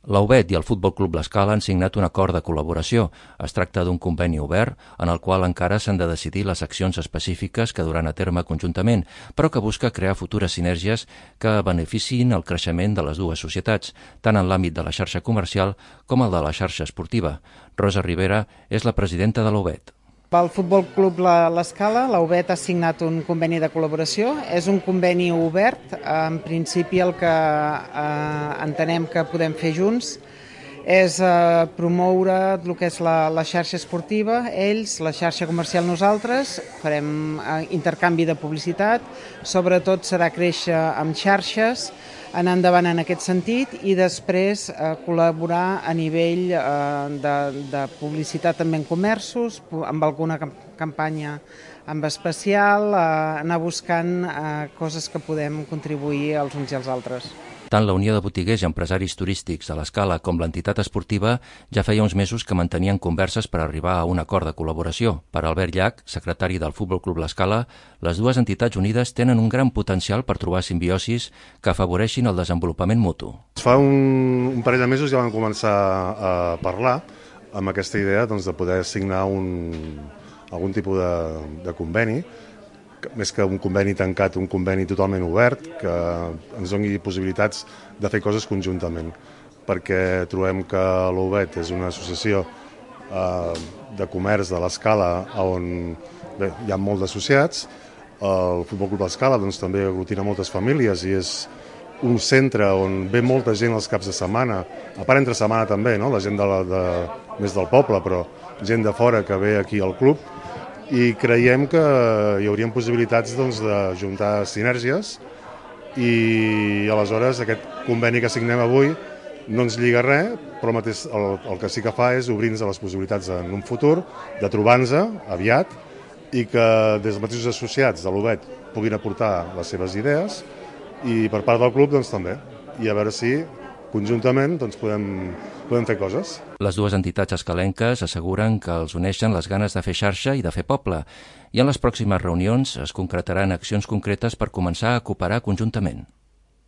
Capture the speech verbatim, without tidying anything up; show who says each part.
Speaker 1: La U B E T i el Futbol Club L'Escala han signat un acord de col·laboració. Es tracta d'un conveni obert en el qual encara s'han de decidir les accions específiques que duran a terme conjuntament, però que busca crear futures sinergies que beneficiïn el creixement de les dues societats, tant en l'àmbit de la xarxa comercial com el de la xarxa esportiva. Rosa Rivera és la presidenta de la U B E T.
Speaker 2: Pel Futbol Club L'Escala, la U B E T ha signat un conveni de col·laboració. És un conveni obert. En principi el que eh, entenem que podem fer junts és eh, promoure el que és la, la xarxa esportiva, ells, la xarxa comercial nosaltres, farem eh, intercanvi de publicitat, sobretot serà créixer amb xarxes, anar endavant en aquest sentit i després eh, col·laborar a nivell eh, de, de publicitat també en comerços, amb alguna campanya en especial, eh, anar buscant eh, coses que podem contribuir els uns i els altres.
Speaker 1: Tant la Unió de Botiguers i Empresaris Turístics de l'Escala com l'entitat esportiva ja feia uns mesos que mantenien converses per arribar a un acord de col·laboració. Per Albert Llach, secretari del Futbol Club L'Escala, les dues entitats unides tenen un gran potencial per trobar simbiosis que afavoreixin el desenvolupament mutu.
Speaker 3: Fa un, un parell de mesos ja vam començar a parlar amb aquesta idea doncs, de poder signar un, algun tipus de, de conveni, més que un conveni tancat, un conveni totalment obert, que ens doni possibilitats de fer coses conjuntament, perquè trobem que l'U B E T és una associació eh, de comerç de l'Escala on bé, hi ha molts d'associats. El Futbol Club L'Escala doncs, també aglutina moltes famílies i és un centre on ve molta gent els caps de setmana, a part entre setmana també, no? La gent de la, de, més del poble, però gent de fora que ve aquí al club, i creiem que hi haurien possibilitats doncs, de juntar sinergies i aleshores aquest conveni que signem avui no ens lliga res, però el, mateix, el, el que sí que fa és obrir-nos a les possibilitats en un futur de trobar-nos aviat i que des dels mateixos associats de l'U B E T puguin aportar les seves idees i per part del club doncs, també, i a veure si conjuntament doncs, podem, podem fer coses.
Speaker 1: Les dues entitats escalenques asseguren que els uneixen les ganes de fer xarxa i de fer poble, i en les pròximes reunions es concretaran accions concretes per començar a cooperar conjuntament.